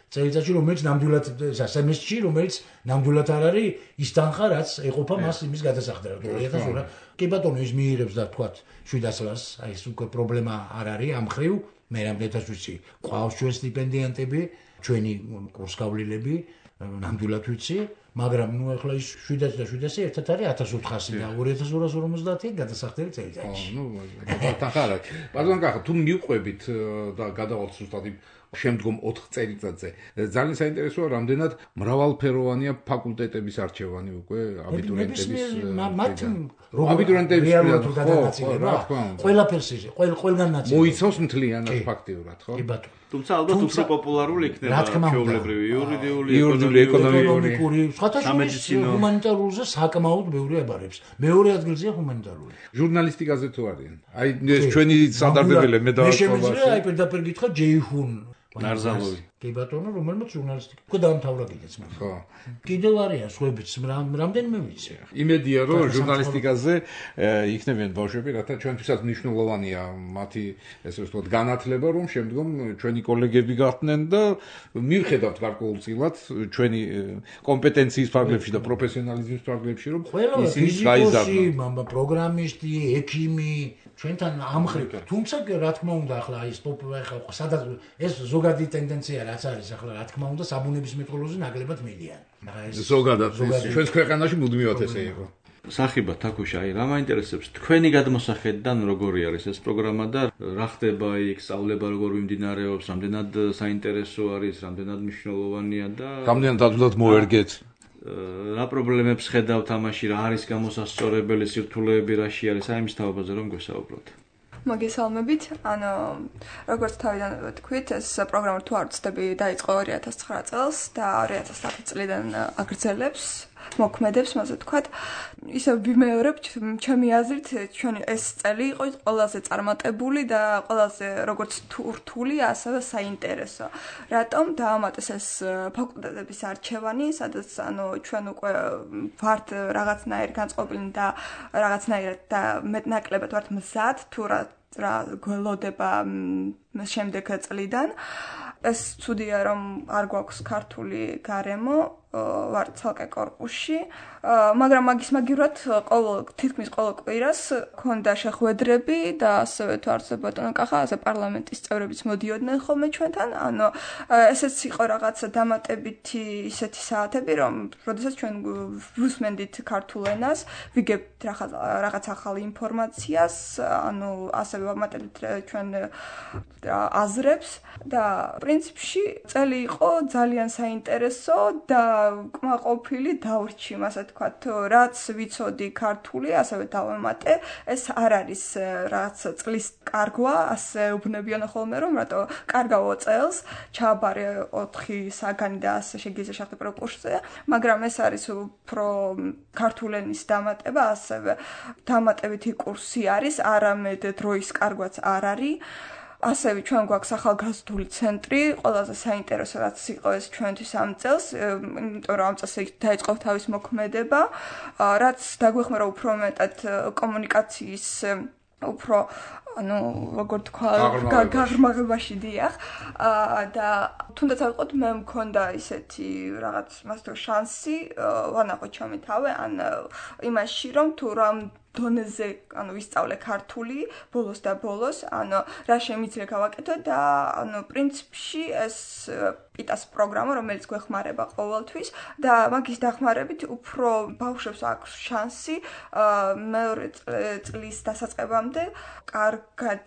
S4: წელიწადში, რომელიც ნამდვილად სემესტრში, რომელიც ნამდვილად არ არის ის თანხა, რაც ეყოფა მას იმის გადასახდელად. 2000 რა. კი ბატონო, ის მიიღებს და თქვა 700 ლარს, აი ეს უკვე პრობლემა არ არის ამ ხრივ. მე რამდენად ვიცი, ყავს ჩვენ სტიპენდიანტები, ჩვენი კურსგავლილები, ნამდვილად ვიცი, მაგრამ ნუ ახლა ის 700 და 700 ერთად არის 1400 და 2250 გადასახდელი წელიწადში.
S2: ნუ თანხა არა. ბატონო, თუ მივყვებით და გადავალთ ზუსტად იმ შემდგომ 4 წელიწადზე. ძალიან საინტერესოა, რამდენად მრავალფეროვანია ფაკულტეტების არჩევანი უკვე აბიტურიენტების აბიტურიენტების
S4: ყველაფერს ყველგან ნაცვლად
S2: მოიცავს მთლიანად ფაქტიურად, ხო?
S4: კი ბატონო.
S3: თუმცა ალბათ უფრო პოპულარული იქნება ჩვეულებრივი
S2: იურიდიული,
S4: ეკონომიკური, სხვათა შორის ჰუმანიტარულზე საკმაოდ ბევრი აბარებს. მეორე ადგილზეა ჰუმანიტარული.
S2: ჟურნალისტიკაზე თუ არიან? აი ეს ჩვენი სადარდებელია მე
S4: მე შემიძლია აი პირდაპირ გითხრა ჯეიჰუნ
S3: ნარზალოვი.
S4: კი ბატონო, რომელმაც ჟურნალისტიკა უკვე დაამთავრა კიდეც მაგრამ. ხო. კიდევ არიან სხვებიც, რამდენიმე ვიცი.
S2: იმედია რომ ჟურნალისტიკაზე იქნებიან ბავშვები, რათა ჩვენთვისაც მნიშვნელოვანია მათი ესე ვთქვათ განათლება, რომ შემდგომ ჩვენი კოლეგები გახდნენ და მივხედავთ გარკვეულწილად ჩვენი კომპეტენციის ფარგლებში და პროფესიონალიზმის ფარგლებში, რომ ისინი გაიზარდონ.
S4: პროგრამისტი, ექიმი, ჩვენთან ამხრივ. თუმცა რა თქმა უნდა, ახლა ის სადაც ეს ზოგადი ტენდენცია რაც არის ახლა რა თქმა უნდა საბუნებისმეტყველოზე ნაკლებად მიდიან.
S2: ზოგადად ჩვენს ქვეყანაში მუდმივად ესე იყო.
S3: სახიბა თაკუშა, აი რა მაინტერესებს თქვენი გადმოსახედიდან როგორი არის ეს პროგრამა და რა ხდება იქ, სწავლება როგორ მიმდინარეობს, რამდენად საინტერესო არის, რამდენად მნიშვნელოვანია და
S2: რამდენად ადვილად მოერგეთ.
S3: რა პრობლემებს ხედავთ ამაში, რა არის გამოსასწორებელი სირთულეები, რაში არის, აი მის თავაზე რომ გვესაუბროთ.
S5: მოგესალმებით. როგორც თავიდან ვთქვით, ეს პროგრამა თუ არ ვცდები, დაიწყო 2009 წელს და 2010 წლიდან აგრძელებს, მოქმედებს, ასე ვთქვათ. ისე ვიმეორებ, ჩემი აზრით, ჩვენი ეს წელი იყო ყველაზე წარმატებული და ყველაზე როგორც რთული, ასევე საინტერესო. რატომ დაამატეს ეს ფაკულტეტების არჩევანი, სადაც ჩვენ უკვე ვართ რაღაცნაირ განწყობილნი და რაღაცნაირად და მეტნაკლებად ვართ მზად თუ რა გველოდება შემდეგ წლიდან. ეს ცუდია, რომ არ გვაქვს ქართული გარემო, ვართ ცალკე კორპუსში, მაგრამ მაგისმაგივრად თითქმის ყოველ კვირას ქონდა შეხვედრები და ასევე თუ არ ბატონო კახა, ასე პარლამენტის წევრებიც მოდიოდნენ ხოლმე ჩვენთან. ესეც იყო რაღაცა დამატებითი ისეთი საათები, რომ როდესაც ჩვენ ვუსმენდით ქართულ ენას, ვიგებთ რაღაც ახალი ინფორმაციას, ასევე ვამატებთ ჩვენ აზრებს და პრინციპში წელი იყო ძალიან საინტერესო და კმაყოფილი დავრჩი, ასე ვთქვათ, რაც ვიცოდი ქართული, ასევე დავემატე, ეს არ არის რაც წლის კარგვა, ასე უბნებიან ხოლმე, რომ რატო კარგავო წელს, ჩააბარე 4 საგანი და ასე შეგიძლია შეხტი პროკურსზე, მაგრამ ეს არის უფრო ქართულ ენის დამატება, ასევე დამატებითი კურსი არის, არამედ დროის კარგვაც არ არის. ასევე ჩვენ გვაქვს ახალგაზრდული ცენტრი, ყველაზე საინტერესო რაც იყო ეს ჩვენთვის ამ წელს, იმიტომ რომ ამ წელს დაიწყო თავის მოქმედება, რაც დაგვეხმარა უფრო მეტად კომუნიკაციის უფრო როგორ თქვა, გაღრმავებაში დიახ. და თუნდაც არ ვიყოთ, მე მქონდა ისეთი რაღაც მასტო შანსი, ვანახო ჩემი თავი, იმაში რომ თუ რამ დონეზე, ვისწავლე ქართული ბოლოს და ბოლოს, რა შემიძლია გავაკეთო და პრინციპში ეს პიტას პროგრამა, რომელიც გვეხმარება ყოველთვის და მაგის დახმარებით უფრო ბავშვებს აქვს შანსი მეორე წლის დასაწყებამდე კარგად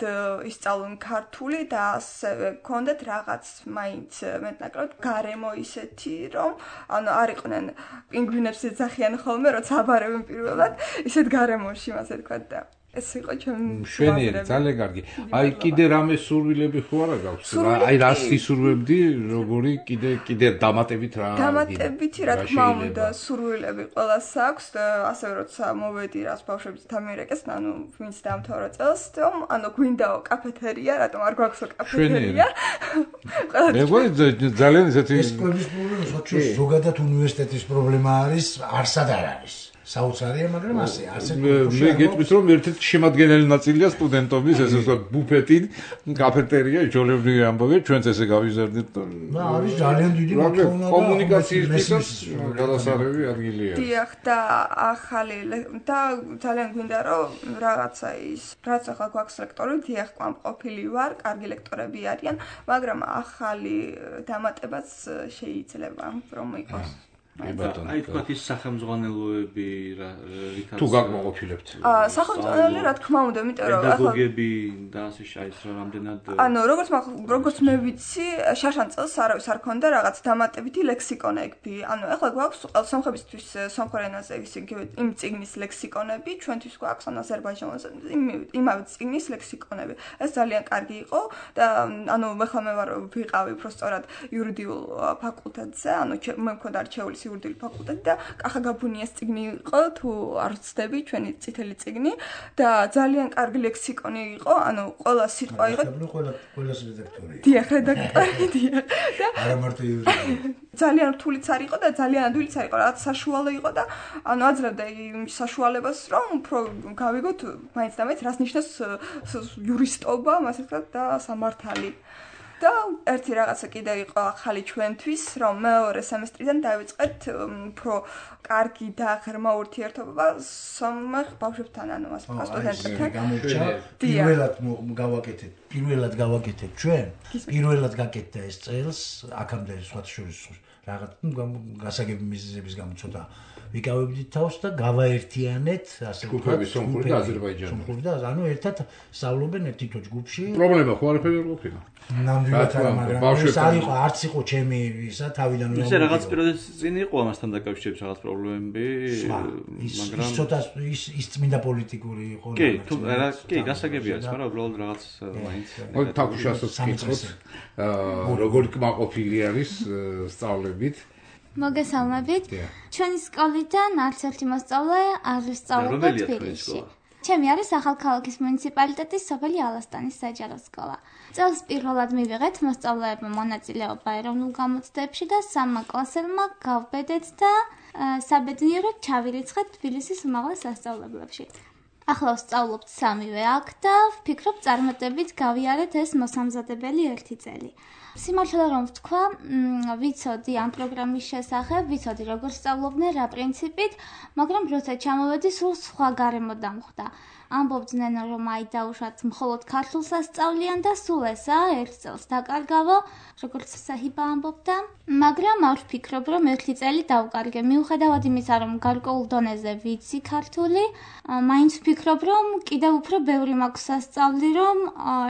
S5: ისწავლონ ქართული და ასევე გქონდეთ რაღაც მაინც მეტნაკლებად გარემო ისეთი, რომ არ იყვნენ პინგვინებს ეძახიან ხოლმე, როცა აბარებენ პირველად, ისეთ გარემოში, ასე ვთქვათ და ეს იყო
S2: ჩვენი ძალიან კარგი. აი კიდე რამე სურვილები ხო არა გაქვს? აი რას ისურვებდი, როგორი კიდე დამატებით რა?
S5: დამატებითი რა თქმა უნდა, სურვილები ყველას აქვს და ასევე როცა მოვედი რას ბავშვებს დამირეკეს, ვინც დაამთავრა წელს, გვინდაო კაფეთერია, რატომ არ გვაქვსო კაფეთერია?
S2: მე ძალიან ესეთი
S4: ეს ყველის პრობლემა, საერთოდ ზოგადად უნივერსიტეტის პრობლემა არის, არსად არ არის. საოცარია, მაგრამ ასე
S2: მე გეტყვით რომ ერთ-ერთი შემადგენელი ნაწილია სტუდენტობის ესე ვთქვათ ბუფეტი, კაფეტერია, ჯოლებრივი ამბავი, ჩვენც ესე გავიზარდეთ და
S4: არის ძალიან დიდი მოთხოვნა და
S2: კომუნიკაციისთვისაც გადასაღები ადგილია.
S5: დიახ და ახალი და ძალიან გვინდა რომ რაღაცა ის რაც ახლა გვაქვს ლექტორები, დიახ, ყოფილი ვარ, კარგი ლექტორები არიან, მაგრამ ახალი დამატებაც შეიძლება რომ იყოს.
S3: აი თქვათ ის სახელმძღვანელოები რითაც
S2: თუ გაკმაყოფილებთ.
S5: სახელმძღვანელოები რა თქმა უნდა, იმიტომ რომ
S3: პედაგოგები და ასე ის რამდენად
S5: როგორც მე ვიცი, შაშან წელს არავის არ ქონდა რაღაც დამატებითი ლექსიკონები. Ახლა გვაქვს სომხებისთვის სომხურ ენაზე იმ წიგნის ლექსიკონები, ჩვენთვის გვაქვს აზერბაიჯანულზე იმავე წიგნის ლექსიკონები. ეს ძალიან კარგი იყო და მე ვიყავი უბრალოდ იურიდიულ ფაკულტეტზე, მე მქონდა არჩეული იურიდიული ფაკულტეტი და კახა გაბუნიას წიგნი იყო, თუ არ ვცდები, ჩვენი წითელი წიგნი და ძალიან კარგი ლექსიკონი იყო, ყველა სიტყვა იყო.
S4: ყველას რედაქტორი.
S5: დიახ, რედაქტორი, დიახ. და
S4: არა მარტო იურიდიული.
S5: ძალიან რთულიც არ იყო და ძალიან ადვილიც არ იყო, რაღაც საშუალო იყო და აძლევდა იმ საშუალებას, რომ უფრო გავიგოთ მაინც და მაინც რას ნიშნავს იურისტობა, ასე ვთქვათ, და სამართალი. და ერთი რაღაცა კიდევ იყო ახალი ჩვენთვის, რომ მეორე სემესტრიდან დავიწყეთ უფრო კარგი და ღრმა ურთიერთობა სომხ ბავშვებთან, ასე ვთქვათ, სტუდენტებთან.
S4: პირველად გავაკეთეთ ჩვენ, პირველად გაკეთდა ეს წელს, აქამდე სხვათა შორის რაღაც გასაგები მიზეზების გამო ცოტა ვიკავებდით თავს და გავაერთიანეთ, ასე
S2: ვთქვათ, სომხური და აზერბაიჯანული.
S4: სომხური და ერთად სწავლობენ ერთ თითო ჯგუფში.
S2: პრობლემა ხო არაფერი არ ყოფილა.
S4: ნამდვილად არა, მაგრამ ეს არ იყო, არც იყო ჩემი ისა თავიდანვე.
S3: ისე რაღაც პირობების წინ იყო ამასთან დაკავშირებით რაღაც პრობლემები,
S4: მაგრამ ის ცოტა ის წმინდა პოლიტიკური იყო.
S3: კი, გასაგები არის, მაგრამ უბრალოდ რაღაც მაინც.
S2: თაკუშასაც ვკითხოთ, როგორი კმაყოფილი არის სწავლებით.
S6: მოგესალმებით. ჩვენი სკოლიდან არც ერთი მოსწავლე არ სწავლობდა თბილისში. ჩემი არის ახალქალაქის მუნიციპალიტეტის სოფელი ალასტანის საჯარო სკოლა. წელს პირველად მივიღეთ მოსწავლეებმა მონაწილეობა ეროვნულ გამოცდებში და სამმა კლასელმა გავბედეთ და საბედნიეროდ ჩავირიცხეთ თბილისის უმაღლეს სასწავლებლებში. ახლა ვსწავლობთ სამივე აქ და ვფიქრობ წარმატებით გავიარეთ ეს მოსამზადებელი ერთი წელი. სიმართლე რომ ვთქვა, ვიცოდი ამ პროგრამის შესახებ, ვიცოდი როგორ სწავლობდნენ, რა პრინციპით, მაგრამ როცა ჩამოვედი, სულ სხვა გარემო დამხვდა. ამბობდნენ, რომ აი დაუშვათ მხოლოდ ქართულს ასწავლიან და სულ ესა ერთ წელს დაკარგავო, როგორც საჰიბა ამბობდა, მაგრამ არ ვფიქრობ, რომ ერთი წელი დავკარგე. მიუხედავად იმისა, რომ გარკვეულ დონეზე ვიცი ქართული, მაინც ვფიქრობ, რომ კიდევ უფრო ბევრი მაქვს სასწავლი, რომ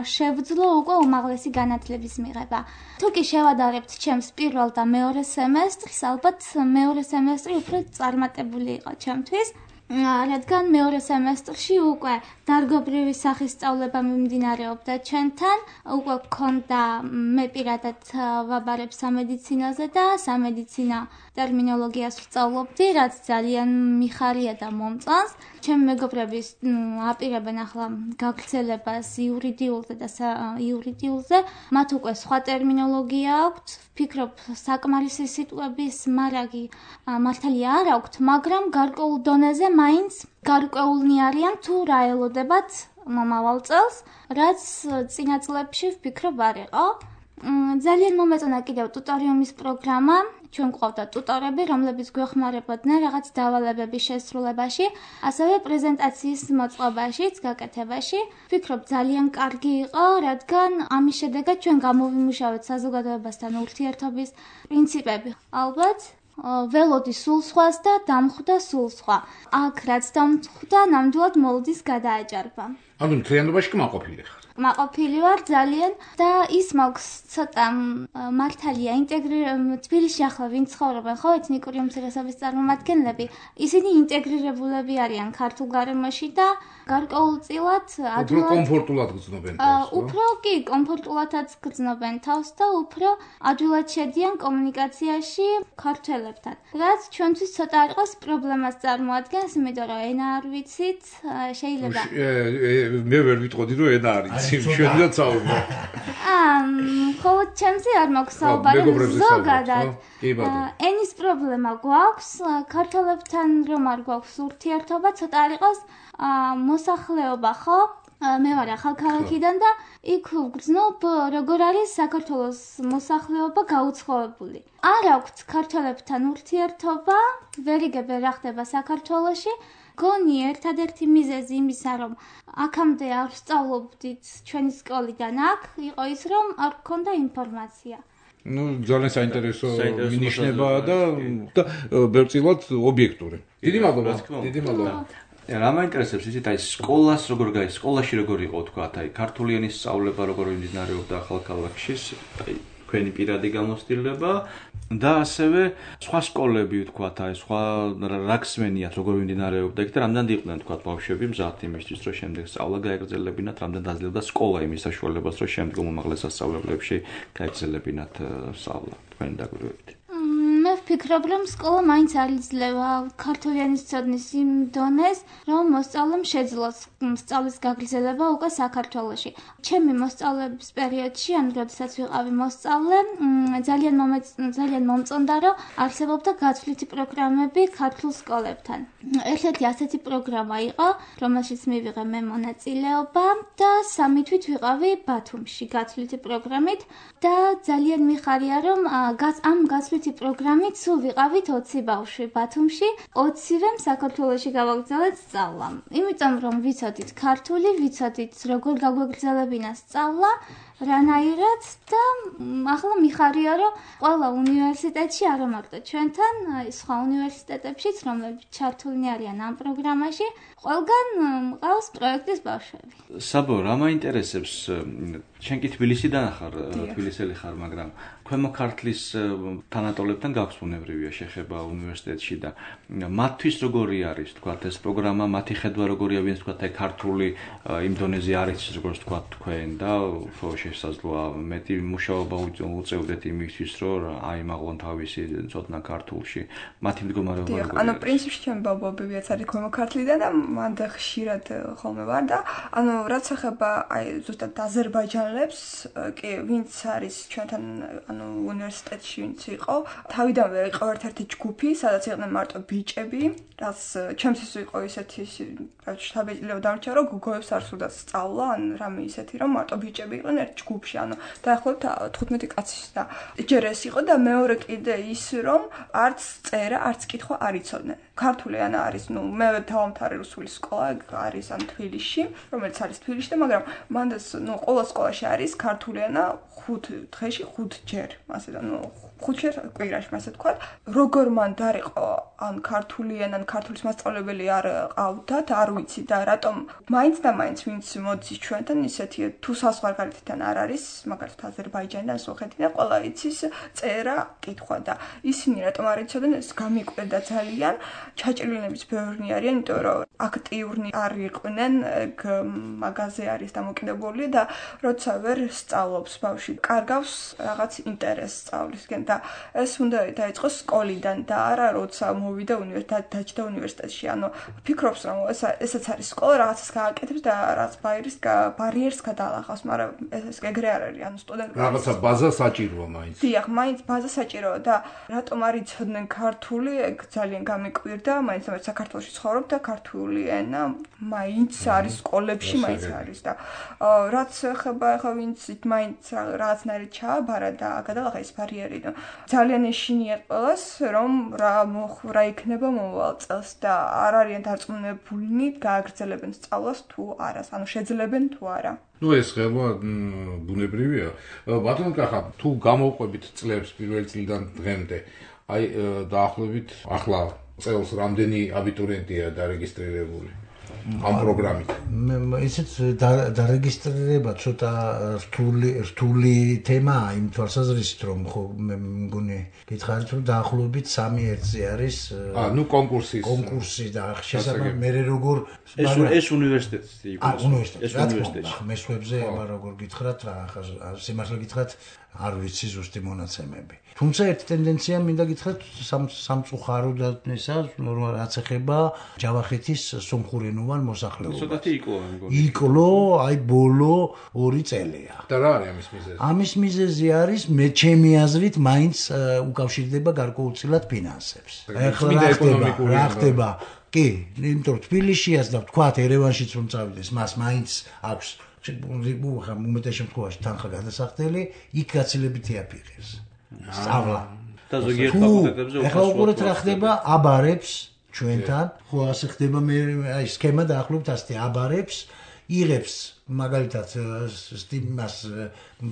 S6: შევძლო უკვე უმაღლესი განათლების მიღება. თუ კი შევადარებთ ჩემს პირველ და მეორე სემესტრს, ალბათ მეორე სემესტრი უფრო წარმატებული იყო ჩემთვის. რადგან მეორე სემესტრში უკვე დარგობრივი სახის სწავლება მიმდინარეობდა ჩვენთან, უკვე გქონდა მე პირადად ვაბარებ სამედიცინოზე და სამედიცინო ტერმინოლოგიას ვსწავლობდი, რაც ძალიან მიხარია და მომწონს. ჩემი მეგობრები აპირებენ ახლა გაგრძელებას იურიდიულზე და იურიდიულზე, მათ უკვე სხვა ტერმინოლოგია აქვთ, ვფიქრობ საკმარისი სიტყვების მარაგი მართალია არ აქვთ, მაგრამ გარკვეულ დონეზე მაინც გარკვეულნი არიან თუ რა ელოდებათ მომავალ წელს, რაც წინა წლებში ვფიქრობ არ იყო. ძალიან მომეწონა კიდევ ტუტორიუმის პროგრამა. ჩვენ გვყავდა ტუტორები, რომლებიც გვეხმარებოდნენ რაღაც დავალებების შესრულებაში, ასევე პრეზენტაციის მოწყობაშიც, გაკეთებაში. ვფიქრობ ძალიან კარგი იყო, რადგან ამის შედეგად ჩვენ გამოვიმუშავეთ საზოგადოებასთან ურთიერთობის პრინციპები. ალბათ ველოდი სულ სხვას და დამხვდა სულ სხვა. აქ რაც დამხვდა, ნამდვილად მოლოდის გადააჭარბა.
S2: მთლიანობაში კმაყოფილი ხარ.
S6: კმაყოფილი ვარ ძალიან და ის მაქვს ცოტა მართალია თბილისში ახლა ვინ ცხოვრობენ, ხო, ეთნიკური უმცირესობის წარმომადგენლები, ისინი ინტეგრირებულები არიან ქართულ გარემოში და გარკვეულწილად
S2: უფრო კომფორტულად გრძნობენ
S6: თავს. უფრო კი კომფორტულადაც გრძნობენ თავს და უფრო ადვილად შედიან კომუნიკაციაში ქართველებთან. რაც ჩვენთვის ცოტა არ იყოს პრობლემას წარმოადგენს, იმიტომ რომ ენა არ ვიცით, შეიძლება
S2: მე ვერ ვიტყოდი რომ ენა არის. შევიდეთ საუბარ.
S6: ხოლო ჩემზე არ მაქვს საუბარი ზოგადად. ენის პრობლემა გვაქვს, ქართველებთან რომ არ გვაქვს ურთიერთობა, ცოტა არ იყოს მოსახლეობა, ხო? მე ვარ ახალქალაქიდან და იქ ვგრძნობ როგორ არის საქართველოს მოსახლეობა გაუცხოებული. არ აქვს ქართველებთან ურთიერთობა, ვერ იგებ რა ხდება საქართველოში. გონი ერთადერთი მიზეზი იმისა, რომ აქამდე არ ვსწავლობდით ჩვენი სკოლიდან აქ, იყო ის, რომ არ გქონდა ინფორმაცია.
S2: ну ძალიან საინტერესო მინიშნებაა და ბევრწილად ობიექტური. დიდი მადლობა.
S3: რა მაინტერესებს იცით აი სკოლას როგორ გაი სკოლაში როგორ იყო თქვა აი ქართული ენის სწავლება როგორ მიმდინარეობდა ახალქალაქში აი თქვენი პირადი გამოცდილება და ასევე სხვა სკოლები თქვა აი სხვა რა გსმენიათ როგორ მიმდინარეობდა იქ და რამდენი იყვნენ თქვა ბავშვები მზად იმისთვის რომ შემდეგ სწავლა გაეგრძელებინათ რამდენი დაძლევდა სკოლა იმის საშუალებას რომ შემდგომ უმაღლეს სასწავლებლებში გაეგრძელებინათ სწავლა თქვენი დაკვირვებით
S6: მე ვფიქრობ, რომ სკოლა მაინც არ იძლევა ქართული ენის ცოდნის იმ დონეს, რომ მოსწავლემ შეძლოს სწავლის გაგრძელება უკვე საქართველოში. ჩემი მოსწავლეების პერიოდში, ან როდესაც ვიყავი მოსწავლე, ძალიან მომწონდა, რომ არსებობდა გაცვლითი პროგრამები ქართულ სკოლებთან. ერთ-ერთი ასეთი პროგრამა იყო, რომელშიც მივიღე მე მონაწილეობა და 3 თვით ვიყავი ბათუმში გაცვლითი პროგრამით და ძალიან მიხარია, რომ ამ გაცვლითი პროგრამით სულ ვიყავით 20 ბავშვი ბათუმში, 20-ვემ საქართველოში გავაგრძელეთ სწავლა. იმიტომ რომ ვიცოდით ქართული, ვიცოდით როგორ გაგვეგრძელებინა სწავლა, რანაირად და ახლა მიხარია, რომ ყველა უნივერსიტეტში არა მარტო ჩვენთან, აი სხვა უნივერსიტეტებშიც, რომლებიც ჩართულნი არიან ამ პროგრამაში, ყველგან მყავს პროექტის ბავშვები.
S3: საბო, რა მაინტერესებს შენ კი თბილისიდან ხარ, თბილისელი ხარ, მაგრამ ქვემო ქართლის თანატოლებთან გაქვს უნებრივია შეხება უნივერსიტეტში და მათთვის როგორი არის, თქვა ეს პროგრამა, მათი ხედვა როგორია, ვინც თქვა აი ქართული იმ დონეზე არის, როგორც თქვა თქვენ და უფრო შესაძლოა მეტი მუშაობა უწევდეთ იმისთვის, რომ აიმაღლონ თავისი ცოდნა ქართულში. მათი მდგომარეობა როგორია?
S5: ანუ პრინციპში ჩემი ბაბუებიც არის ქვემო ქართლიდან და მან და ხშირად ხოლმე ვარ და ანუ რაც ეხება აი ზუსტად აზერბაიჯანელებს, კი ვინც არის ჩვენთან ანუ უნივერსიტეტში ვინც იყო, თავიდანვე იყო ერთ-ერთი ჯგუფი, სადაც იყვნენ მარტო ბიჭები, რაც ჩემთვის იყო ისეთი შთაბეჭდილება დამრჩა, რომ გოგოებს არ სურდა სწავლა, ან რამე ისეთი, რომ მარტო ბიჭები იყვნენ ერთ ჯგუფში, ანუ დაახლოებით 15 კაცის და ჯერ ეს იყო და მეორე კიდე ის, რომ არც წერა, არც კითხვა არ იცოდნენ. ქართული ენა არის, ნუ მე დავამთავრე რუსული სკოლა, არის ან თბილისში, რომელიც არის თბილისში, მაგრამ მანდაც ნუ ყველა სკოლაში არის ქართული ენა 5 დღეში 5 ჯერ, ასე და ნუ 5 ჯერ კვირაში, ასე თქვა. როგორ მან დარიყო ან ქართული ენა, ან ქართულის მასწავლებელი არ ყავდათ, არ ვიცი და რატომ მაინც და მაინც ვინც მოდის ჩვენთან ისეთი თუ საზღვარგარეთიდან არ არის, მაგალითად აზერბაიჯანიდან, სოხეთიდან, ყველა იცის წერა, კითხვა და ისინი რატომ არ იცოდნენ, ეს გამიკვირდა ძალიან. ჩაჭრილნების ბევრნი არიან, იმიტომ რომ აქტიურნი არ იყვნენ, მაგაზე არის დამოკიდებული და როცა ვერ სწავლობს ბავშვი, კარგავს რაღაც ინტერესს სწავლისკენ და ეს უნდა დაიწყოს სკოლიდან და არა როცა მოვიდა დაჯდა უნივერსიტეტში. ანუ ფიქრობს რომ ესეც არის სკოლა, რაღაცას გააკეთებს და რაღაც ბარიერს გადაალახავს, მაგრამ ეს ეგრე არ არის, ანუ სტუდენტები
S2: რაღაცა ბაზა საჭიროა მაინც.
S5: დიახ, მაინც ბაზა საჭიროა და რატომ არ იცოდნენ ქართული, ეგ ძალიან გამიკვირდა, მაინც საქართველოში ცხოვრობ და ქართული ენა მაინც არის სკოლებში, მაინც არის და რაც ხება ახლა ვინც მაინც რაღაცნაირად ჩააბარა და გადალახა ეს ბარიერი და ძალიან ეშინიათ ყველას რომ რა იქნება მომავალ წელს და არ არიან დარწმუნებულნი გააგრძელებენ სწავლას თუ არა, ანუ შეძლებენ თუ არა.
S2: ნუ ეს ხება ბუნებრივია. ბატონო კახა, თუ გამოვყვებით წლებს პირველ წლიდან დღემდე, აი დაახლოებით ახლა წელს რამდენი აბიტურიენტია დარეგისტრირებული ამ პროგრამით?
S4: ისეთ დარეგისტრირება ცოტა რთული თემაა იმ თვალსაზრისით, რომ ხო მე მგონი გითხარით, რომ დაახლოებით 3-1-ზე არის
S2: ნუ კონკურსი
S4: და შესაძლოა მე როგორ
S3: ეს უნივერსიტეტი იყო.
S4: ეს უნივერსიტეტი. მესვებზე აბა როგორ გითხრათ რა, ახლა სიმართლე გითხრათ არ ვიცი ზუსტი მონაცემები. თუმცა ერთი ტენდენცია მინდა გითხრათ სამწუხაროდ ისა, რაც ეხება ჯავახეთის სომხურენოვან მოსახლეობას.
S3: ცოტათი
S4: იკლო, აი ბოლო 2 წელია.
S2: და რა არის ამის მიზეზი?
S4: ამის მიზეზი არის მე ჩემი აზრით მაინც უკავშირდება გარკვეულწილად ფინანსებს. ეხლა რა ხდება? კი, იმიტომ რომ თბილისშიაც და ვთქვათ ერევანშიც რომ წავიდეს, მას მაინც აქვს უმეტეს შემთხვევაში თანხა გადასახდელი, იქ გაცილებითი აფიღებს. სწავლა.
S3: და ზოგიერთ ფაკულტეტებზე
S4: ახლა უყურეთ რა ხდება აბარებს ჩვენთან, ხო ასე ხდება მე აი სქემა დაახლოებით ასეთი აბარებს, იღებს მაგალითად სტიმას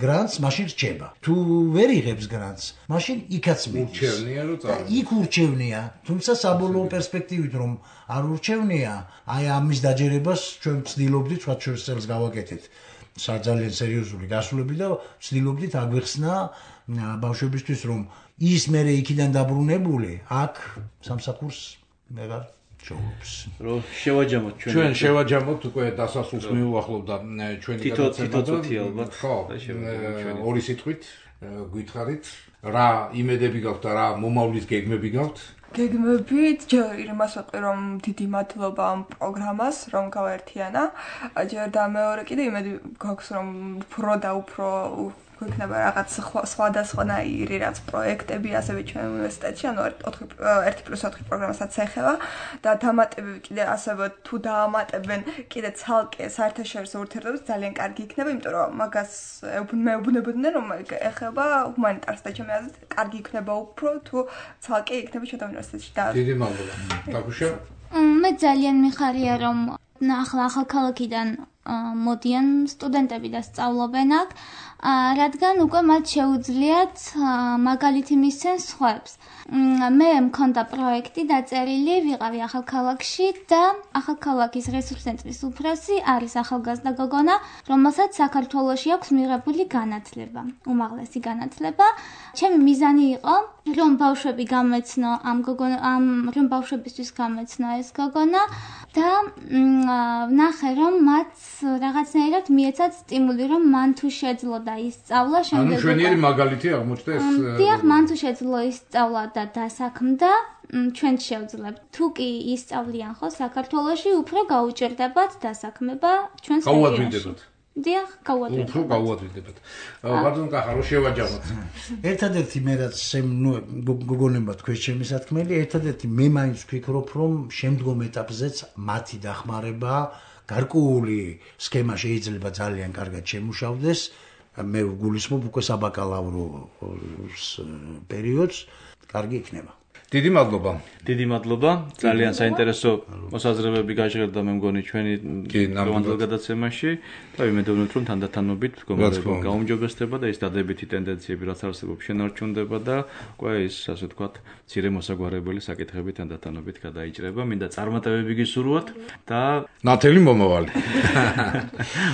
S4: გრანტს, მაშინ რჩება. თუ ვერ იღებს გრანტს, მაშინ იქაც მიდის.
S2: ურჩევნია რომ წავიდა.
S4: იქ ურჩევნია, თუმცა საბოლოო პერსპექტივით რომ არ ურჩევნია, აი ამის დაჯერებას ჩვენ ვცდილობდით 4 წელს გავაკეთეთ. ძალიან სერიოზული გასულები და ვცდილობდით აგვეხსნა ბავშვებისთვის რომ ის მერე იქიდან დაბრუნებული აქ სამსახურს ვეღარ ჩაუობს.
S3: რომ შევაჯამოთ
S2: ჩვენ შევაჯამოთ უკვე დასასრულს მიუახლოვდა ჩვენი
S3: გადაცემა და
S2: ხო, ორი სიტყვით გითხარით რა იმედები გაქვთ და რა მომავლის გეგმები გაქვთ?
S5: გეგმებით ჯერ იმას ვაყრი რომ დიდი მადლობა ამ პროგრამას რომ გავაერთიანა. ჯერ და მეორე კიდე იმედი გაქვს რომ უფრო და უფრო იქნება რაღაც სხვადასხვანაირი რაც პროექტები ასევე ჩვენ უნივერსიტეტში, ანუ 1+4 პროგრამასაც ეხება და დამატებები კიდე ასევე თუ დაამატებენ კიდე ცალკე საერთაშორისო ურთიერთობებს ძალიან კარგი იქნება, იმიტომ რომ მაგას მეუბნებოდნენ რომ ეხება ჰუმანიტარს და ჩემი აზრით კარგი იქნება უფრო თუ ცალკე იქნება ჩვენთან უნივერსიტეტში და
S2: დიდი მადლობა. დაგუშა?
S6: მე ძალიან მიხარია რომ ახალ ქალაქიდან მოდიან სტუდენტები და სწავლობენ აქ, რადგან უკვე მათ შეუძლიათ მაგალითი მისცენ სხვებს. მე მქონდა პროექტი დაწერილი, ვიყავი ახალ ქალაქში და ახალ ქალაქის რესურს ცენტრის უფროსი არის ახალგაზრდა გოგონა, რომელსაც საქართველოში აქვს მიღებული განათლება, უმაღლესი განათლება. ჩემი მიზანი იყო რომ ბავშვები გამეცნო რომ ბავშვებისთვის გამეცნო ეს გოგონა და ვნახე რომ მათ რაღაცნაირად მიეცათ სტიმული რომ მან თუ შეძლო და ისწავლა
S2: ანუ ჩვენიერი მაგალითი აღმოჩნდა ეს
S6: დიახ მან თუ შეძლო ისწავლა და დასაქმდა ჩვენ შევძლებთ თუ კი ისწავლიან ხო საქართველოში უფრო გაუჭირდებათ დასაქმება ჩვენს
S2: რეგიონში
S6: დიახ გავუადვილდებათ
S2: უფრო გავუადვილდებათ ბატონ კახარო შევაჯამოთ
S4: ერთადერთი მე რაც გოგონება თქვენ ჩემი სათქმელი ერთადერთი მე მაინც ვფიქრობ რომ შემდგომ ეტაპზეც მათი დახმარება გარკვეული სქემა შეიძლება ძალიან კარგად შემუშავდეს მე გულისხმობ უკვე საბაკალავრო პერიოდს კარგი იქნება
S2: დიდი მადლობა
S3: დიდი მადლობა ძალიან საინტერესო მოსაზრებები გაჟღერდა მე მგონი ჩვენი დღევანდელ გადაცემაში და ვიმედოვნებთ რომ თანდათანობით მდგომარეობა გაუმჯობესდება და ის დადებითი ტენდენციები რაც არსებობს შენარჩუნდება და უკვე ის ასე ვთქვათ მცირე მოსაგვარებელი საკითხები თანდათანობით გადაიჭრება მინდა წარმატებები გისურვოთ და
S2: ნათელი მომავალი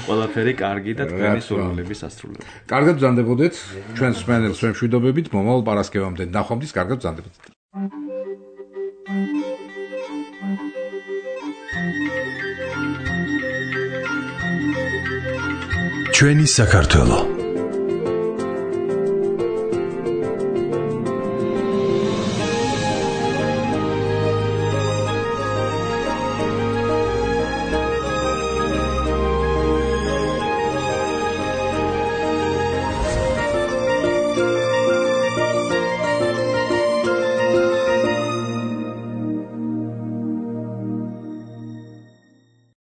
S3: ყველაფერი კარგი და თქვენი სურვილების ასრულება
S2: კარგად ბრძანდებოდეთ ჩვენს მსმენელს ვემშვიდობებით მომავალ პარასკევამდე ნახვამდის კარგად ბრძანდებოდეთ
S1: ჩვენი საქართველო